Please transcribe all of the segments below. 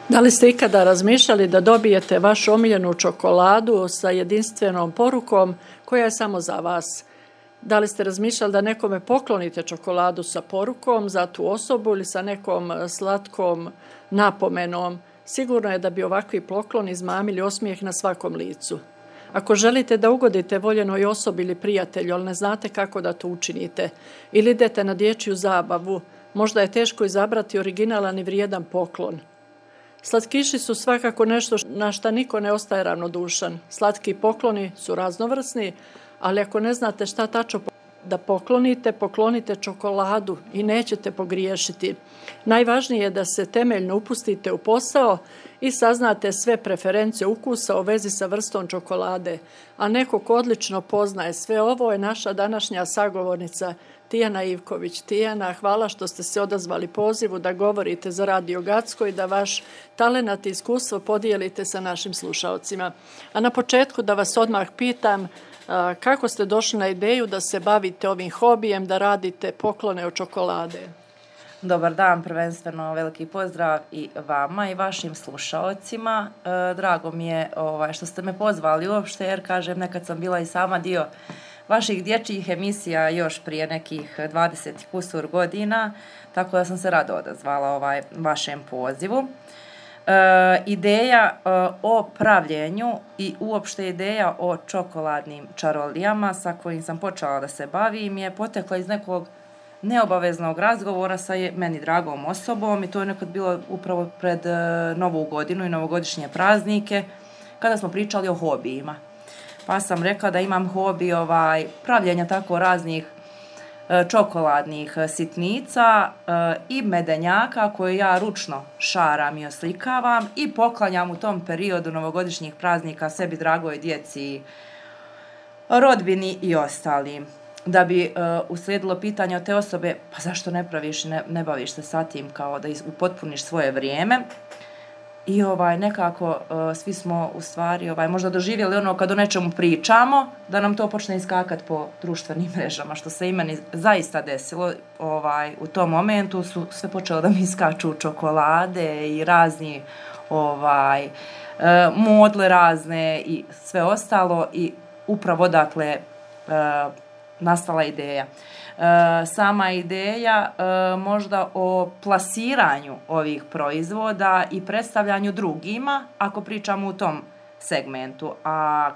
Da li ste ikada razmišljali da dobijete vašu omiljenu čokoladu sa jedinstvenom porukom koja je samo za vas? Da li ste razmišljali da nekome poklonite čokoladu sa porukom za tu osobu ili sa nekom slatkom napomenom? Sigurno je da bi ovakvi pokloni izmamili osmijeh na svakom licu. Ako želite da ugodite voljenoj osobi ili prijatelju, ali ne znate kako da to učinite, ili idete na dječju zabavu, možda je teško izabrati originalan i vrijedan poklon. Slatkiši su svakako nešto na šta niko ne ostaje ravnodušan. Slatki pokloni su raznovrsni, ali ako ne znate šta tačno da poklonite, poklonite čokoladu i nećete pogriješiti. Najvažnije je da se temeljno upustite u posao i saznate sve preferencije ukusa u vezi sa vrstom čokolade. A neko ko odlično poznaje sve ovo je naša današnja sagovornica Tijana Ivković. Tijana, hvala što ste se odazvali pozivu da govorite za Radio Gacko i da vaš talenat i iskustvo podijelite sa našim slušaocima. A na početku da vas odmah pitam, kako ste došli na ideju da se bavite ovim hobijem, da radite poklone od čokolade? Dobar dan, prvenstveno veliki pozdrav i vama i vašim slušaocima. Drago mi je što ste me pozvali uopšte, jer kažem, nekad sam bila i sama dio vaših dječjih emisija još prije nekih 20 kusur godina, tako da sam se rado odazvala vašem pozivu. Ideja o pravljenju i uopšte ideja o čokoladnim čarolijama sa kojim sam počela da se bavim je potekla iz nekog neobaveznog razgovora sa meni dragom osobom i to je nekad bilo upravo pred Novu godinu i novogodišnje praznike kada smo pričali o hobijima. Pa sam rekla da imam hobi pravljenja tako raznih čokoladnih sitnica i medenjaka koje ja ručno šaram i oslikavam i poklanjam u tom periodu novogodišnjih praznika sebi, dragoj djeci, rodbini i ostalim. Da bi uslijedilo pitanje od te osobe, pa zašto ne praviš i ne baviš se sa tim kao da upotpuniš svoje vrijeme. I nekako svi smo u stvari možda doživjeli ono kad o nečemu pričamo, da nam to počne iskakati po društvenim mrežama, što se i meni zaista desilo. U tom momentu su sve počelo da mi iskaču čokolade i razni modle razne i sve ostalo i upravo dakle nastala ideja. Sama ideja možda o plasiranju ovih proizvoda i predstavljanju drugima, ako pričamo u tom segmentu. A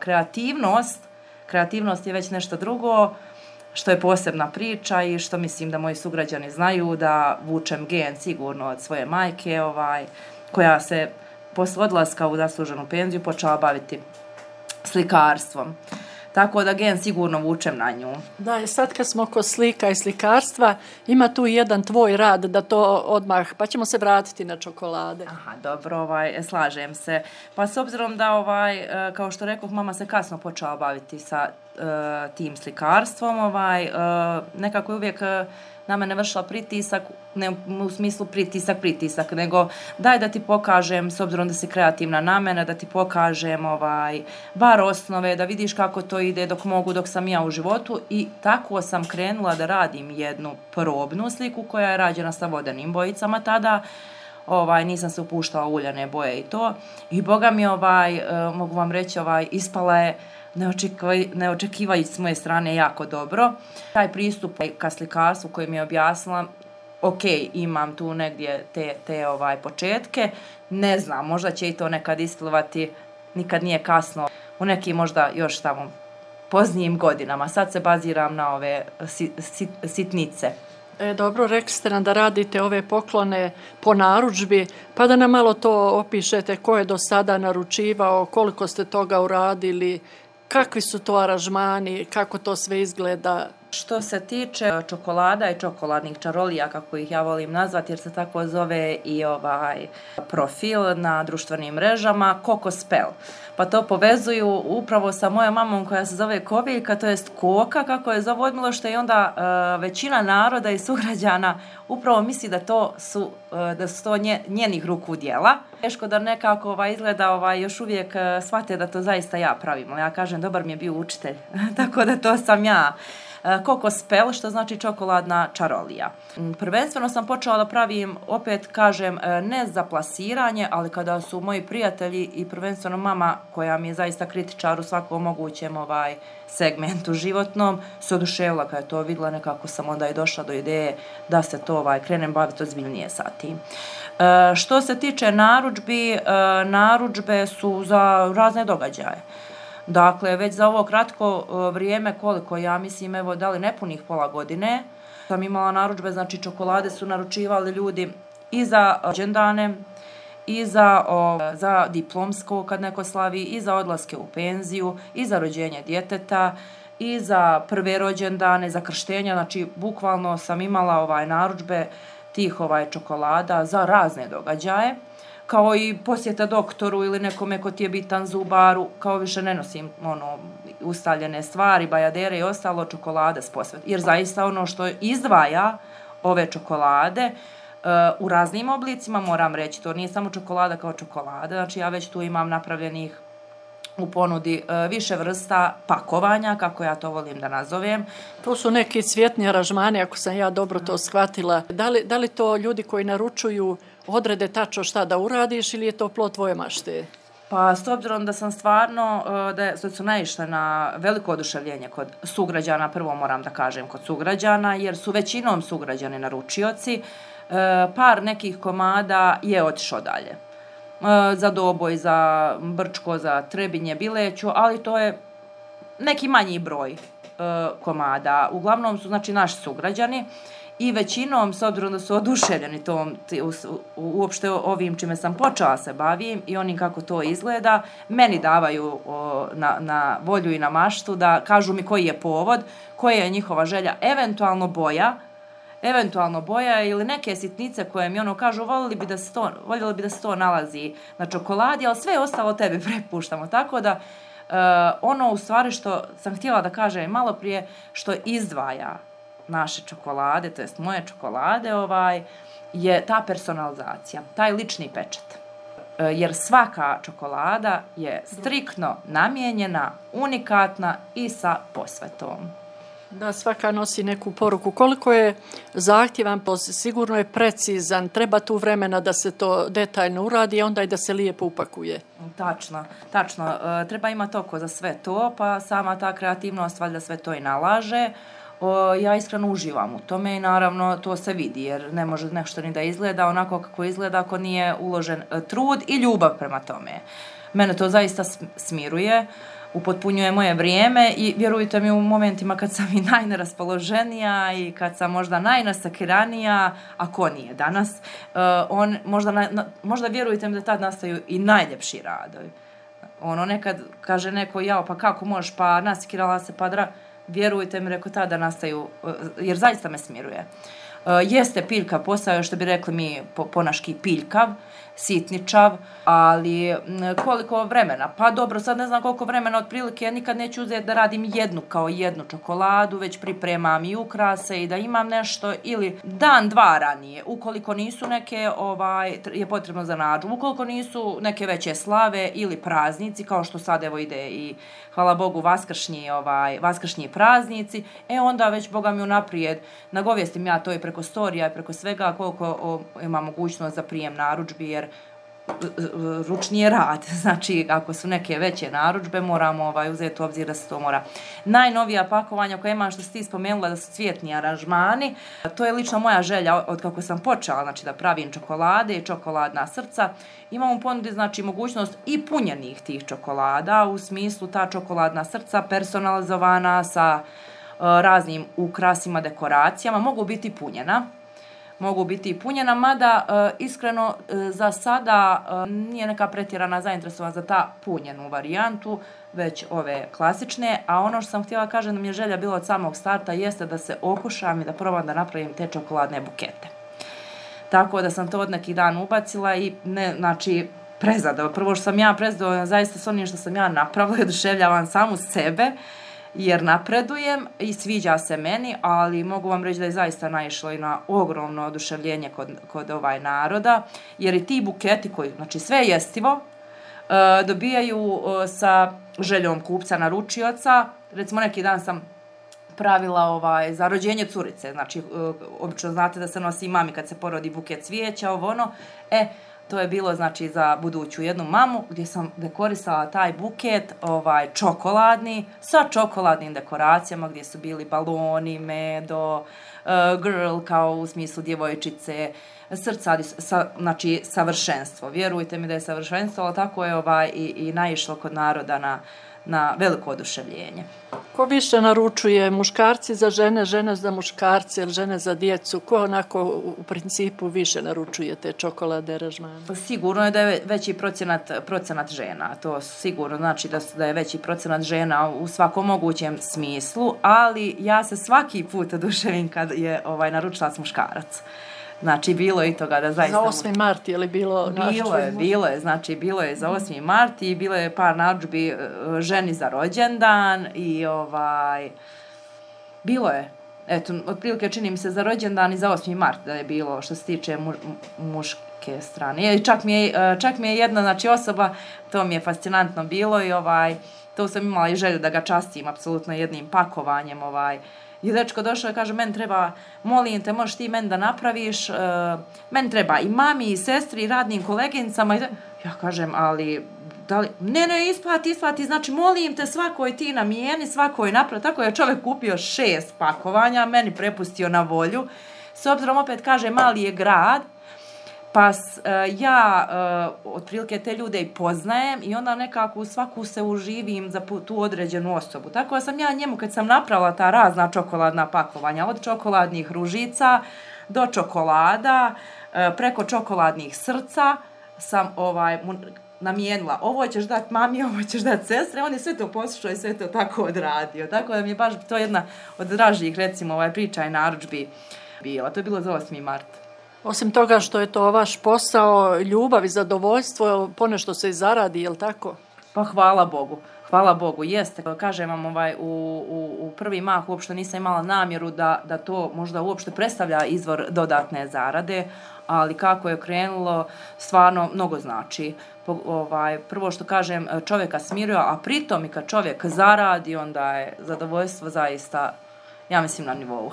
kreativnost je već nešto drugo, što je posebna priča i što mislim da moji sugrađani znaju, da vučem gen sigurno od svoje majke, koja se posle odlaska u zasluženu penziju počela baviti slikarstvom. Tako da gen sigurno vučem na nju. Da, i sad kad smo kod slika i slikarstva, ima tu jedan tvoj rad da to odmah, pa ćemo se vratiti na čokolade. Aha, dobro, slažem se. Pa s obzirom da, kao što rekoh, mama se kasno počela baviti sa tim slikarstvom, nekako je uvijek na mene vršila pritisak, ne u smislu pritisak, nego daj da ti pokažem, s obzirom da si kreativna na mene, da ti pokažem bar osnove, da vidiš kako to ide dok sam ja u životu i tako sam krenula da radim jednu probnu sliku koja je rađena sa vodenim bojicama tada. Nisam se upuštala u uljane boje i to. I boga mi mogu vam reći, ispala je neočekivajući s moje strane jako dobro. Taj pristup ka slikarstvu koji mi je objasnila, ok, imam tu negdje te početke, ne znam, možda će i to nekad isplivati, nikad nije kasno, u nekim možda još tamo poznijim godinama. Sad se baziram na ove sitnice. Dobro, rekli ste nam da radite ove poklone po narudžbi, pa da nam malo to opišete, ko je do sada naručivao, koliko ste toga uradili, kakvi su to aranžmani, kako to sve izgleda? Što se tiče čokolada i čokoladnih čarolija, kako ih ja volim nazvati, jer se tako zove i profil na društvenim mrežama, Coco Spell. Pa to povezuju upravo sa mojom mamom koja se zove Koviljka, to jest Koka, kako je zove odmilo, što je onda većina naroda i sugrađana upravo misli da su to njenih ruku djela. Teško da nekako izgleda još uvijek shvate da to zaista ja pravim. Ja kažem, dobar mi je bio učitelj, tako da to sam ja. kokospel, što znači čokoladna čarolija. Prvenstveno sam počela da pravim, opet kažem, ne za plasiranje, ali kada su moji prijatelji i prvenstveno mama, koja mi je zaista kritičar u svakom mogućem segmentu životnom, se oduševila kada je to vidjela, nekako sam onda i došla do ideje da se to krenem baviti ozbiljnije sa tim. Što se tiče narudžbi, narudžbe su za razne događaje. Dakle, već za ovo kratko vrijeme, koliko ja mislim, evo, da li nepunih pola godine, sam imala narudžbe, znači čokolade su naručivali ljudi i za rođendane, i za diplomsko kad neko slavi, i za odlaske u penziju, i za rođenje djeteta, i za prve rođendane, za krštenja, znači bukvalno sam imala narudžbe tih čokolada za razne događaje, kao i posjeta doktoru ili nekome ko ti je bitan zubaru, kao više ne nosim ustaljene stvari, bajadere i ostalo, čokolade s posvetom. Jer zaista ono što izdvaja ove čokolade u raznim oblicima, moram reći, to nije samo čokolada kao čokolada, znači ja već tu imam napravljenih u ponudi više vrsta pakovanja, kako ja to volim da nazovem. To su neki cvjetni aranžmani, ako sam ja dobro to shvatila. Da li to ljudi koji naručuju odrede tačno šta da uradiš ili je to plod tvoje mašte? Pa s obzirom da sam stvarno, da su naišle na veliko oduševljenje kod sugrađana, prvo moram da kažem kod sugrađana, jer su većinom sugrađani naručioci, par nekih komada je otišao dalje. Za Doboj, za Brčko, za Trebinje, Bileću, ali to je neki manji broj komada. Uglavnom su znači naši sugrađani i većinom, s obzirom da su oduševljeni uopšte ovim čime sam počela se bavim i onim kako to izgleda, meni davaju na volju i na maštu da kažu mi koji je povod, koja je njihova želja, eventualno boja ili neke sitnice koje mi kažu voljeli bi da se to nalazi na čokoladi, ali sve ostalo tebi prepuštamo. Tako da ono u stvari što sam htjela da kažem malo prije, što izdvaja naše čokolade, to jest moje čokolade, je ta personalizacija, taj lični pečat. Jer svaka čokolada je striktno namijenjena, unikatna i sa posvetom. Da, svaka nosi neku poruku. Koliko je zahtjevan, sigurno je precizan, treba tu vremena da se to detaljno uradi, a onda i da se lijepo upakuje. Tačno. Treba imati oko za sve to, pa sama ta kreativnost valjda sve to i nalaže. Ja iskreno uživam u tome i naravno to se vidi, jer ne može nešto ni da izgleda onako kako izgleda ako nije uložen trud i ljubav prema tome. Mene to zaista smiruje, upotpunjuje moje vrijeme i vjerujte mi u momentima kad sam i najneraspoloženija i kad sam možda najnasakiranija, a ko nije danas, možda vjerujte mi da tad nastaju i najljepši radovi. Nekad kaže neko, pa kako možeš, pa nasakirala se, pa vjerujte mi, reko tada nastaju, jer zaista me smiruje. Jeste piljkav posao, što bi rekli mi ponaški piljkav, sitničav, ali koliko vremena? Pa dobro, sad ne znam koliko vremena otprilike, ja nikad neću uzeti da radim jednu čokoladu, već pripremam i ukrase i da imam nešto, ili dan, dva ranije, ukoliko nisu neke, je potrebno za narudžbu, ukoliko nisu neke veće slave ili praznici, kao što sad evo ide i hvala Bogu vaskršnji praznici, onda već Boga mi unaprijed nagovijestim ja to i preko storija i preko svega koliko ima mogućnost za prijem narudžbi, jer ručni rad, znači ako su neke veće narudžbe moramo uzeti u obzir da se to mora. Najnovija pakovanja koja imam, što si ti spomenula, da su cvjetni aranžmani, to je lično moja želja od kako sam počela, znači da pravim čokolade i čokoladna srca. Imam u ponudi znači mogućnost i punjenih tih čokolada, u smislu ta čokoladna srca personalizovana sa raznim ukrasima, dekoracijama, mogu biti punjena, mada iskreno za sada nije neka pretjerana zainteresovana za ta punjenu varijantu, već ove klasične, a ono što sam htjela kažem da mi je želja bila od samog starta jeste da se okušam i da probam da napravim te čokoladne bukete. Tako da sam to od nekih dan ubacila i prezadovoljna. Prvo što sam ja prezadovoljna zaista s onim što sam ja napravila i oduševljavam samu sebe, jer napredujem i sviđa se meni, ali mogu vam reći da je zaista naišlo i na ogromno oduševljenje kod naroda, jer i ti buketi koji, znači sve jestivo, dobijaju sa željom kupca naručioca. Recimo neki dan sam pravila za rođenje curice. Znači, obično znate da se nosi mami kad se porodi buket cvijeća, to je bilo znači za buduću jednu mamu gdje sam dekorisala taj buket čokoladni sa čokoladnim dekoracijama gdje su bili baloni, medo, girl kao u smislu djevojčice, srca, znači savršenstvo. Vjerujte mi da je savršenstvo, ali tako je i naišlo kod naroda na veliko oduševljenje. Ko više naručuje, muškarci za žene, žene za muškarce ili žene za djecu? Ko onako u principu više naručuje te čokolade, aranžmane? Sigurno je da je veći procenat žena. To sigurno znači da je veći procenat žena u svakom mogućem smislu, ali ja se svaki put oduševim kad je naručila muškarac. Znači, bilo je i toga da zaista... Za 8. mart je li bilo? Bilo je, znači, bilo je za 8. mart i bilo je par narudžbi ženi za rođendan i bilo je. Eto, otprilike čini mi se za rođendan i za 8. mart da je bilo što se tiče muške strane. I čak mi je jedna, znači, osoba, to mi je fascinantno bilo i to sam imala i želju da ga častim apsolutno jednim pakovanjem, I dečko došao i kaže, meni treba, molim te, možeš ti meni da napraviš, meni treba i mami, i sestri, i radnim koleginicama. Ja kažem, ali, da li, ne, isplati, znači, molim te, svakoj ti namijeni, svakoj napravi. Tako je čovjek kupio 6 pakovanja, meni prepustio na volju. S obzirom, opet kaže, mali je grad, pa ja otprilike te ljude i poznajem i onda nekako u svaku se uživim za tu određenu osobu. Tako da sam ja njemu kad sam napravila ta razna čokoladna pakovanja, od čokoladnih ružica do čokolada, preko čokoladnih srca sam namijenila, ovo ćeš dati mami, ovo ćeš dati sestre, on je sve to poslušao i sve to tako odradio. Tako da mi je baš to jedna od dražih, recimo, priča i narudžbi bila. To je bilo za 8. mart. Osim toga što je to vaš posao, ljubav i zadovoljstvo, ponešto se i zaradi, je li tako? Pa hvala Bogu, jeste. Kažem vam, u prvi mah uopšte nisam imala namjeru da to možda uopšte predstavlja izvor dodatne zarade, ali kako je krenulo, stvarno mnogo znači. Prvo što kažem, čovjeka smiruje, a pritom i kad čovjek zaradi, onda je zadovoljstvo zaista, ja mislim, na nivou.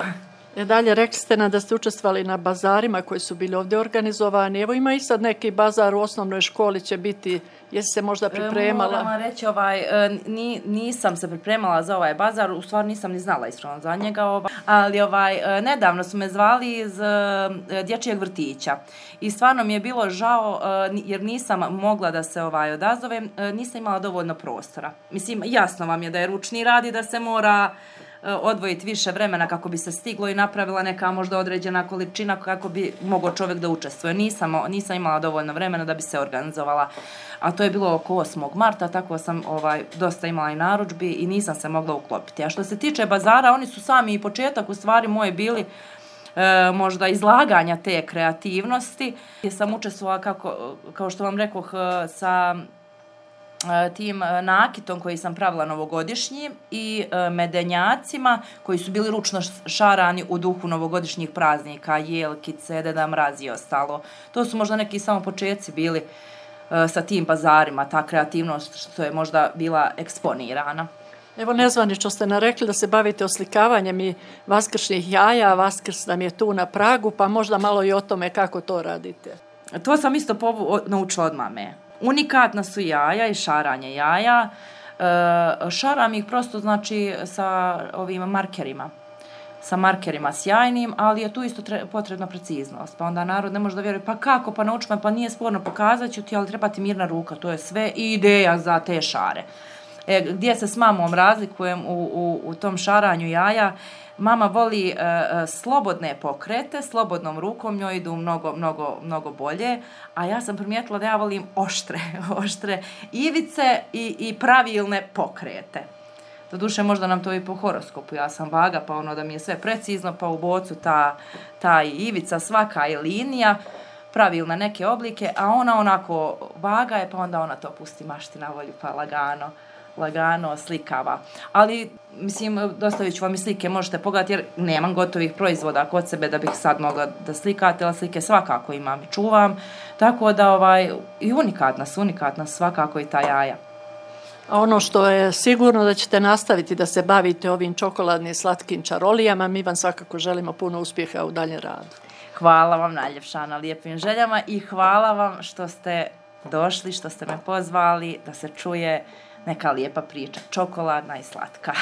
Dalje, rekli ste nam da ste učestvovali na bazarima koji su bili ovdje organizovani. Evo ima i sad neki bazar u osnovnoj školi će biti, jesi se možda pripremala? Moram vam reći, nisam se pripremala za ovaj bazar, u stvari nisam ni znala iskreno za njega, ali nedavno su me zvali iz dječjeg vrtića i stvarno mi je bilo žao jer nisam mogla da se odazovem, nisam imala dovoljno prostora. Mislim, jasno vam je da je ručni rad i da se mora odvojiti više vremena kako bi se stiglo i napravila neka možda određena količina kako bi mogao čovjek da učestvuje. Nisam imala dovoljno vremena da bi se organizovala, a to je bilo oko 8. marta, tako sam dosta imala i narudžbi i nisam se mogla uklopiti. A što se tiče bazara, oni su sami i početak u stvari moje bili možda izlaganja te kreativnosti. Ja sam učestvovala, kao što vam rekoh, sa tim nakitom koji sam pravila novogodišnji i medenjacima koji su bili ručno šarani u duhu novogodišnjih praznika, jelkice, Deda Mraz i ostalo. To su možda neki samo početci bili sa tim bazarima, ta kreativnost što je možda bila eksponirana. Evo nezvanično ste narekli da se bavite oslikavanjem i vaskršnjih jaja, Vaskrs nam je tu na pragu, pa možda malo i o tome kako to radite. To sam isto naučila od mame. Unikatna su jaja i šaranje jaja. Šaram ih prosto znači sa ovim markerima. Sa markerima sjajnim, ali je tu isto potrebna preciznost. Pa onda narod ne može da vjeruje, pa kako, pa nauči me, pa nije sporno, pokazat ću ti, ali treba ti mirna ruka. To je sve ideja za te šare. Gdje se s mamom razlikujem u tom šaranju jaja, mama voli slobodne pokrete, slobodnom rukom njoj idu mnogo bolje, a ja sam primijetila da ja volim oštre ivice i pravilne pokrete. Doduše možda nam to i po horoskopu, ja sam vaga, pa da mi je sve precizno, pa u bocu ta ivica svaka je linija, pravilne neke oblike, a ona onako vaga je, pa onda ona to pusti mašti na volju, pa lagano slikava. Ali, mislim, dostavit ću vam i slike, možete pogledati jer nemam gotovih proizvoda kod sebe da bih sad mogla da slikate, ali slike svakako imam i čuvam, tako da i unikatna svakako i ta jaja. A ono što je sigurno da ćete nastaviti da se bavite ovim čokoladnim slatkim čarolijama, mi vam svakako želimo puno uspjeha u daljem radu. Hvala vam najljepša na lijepim željama i hvala vam što ste došli, što ste me pozvali da se čuje neka lijepa priča, čokoladna i slatka.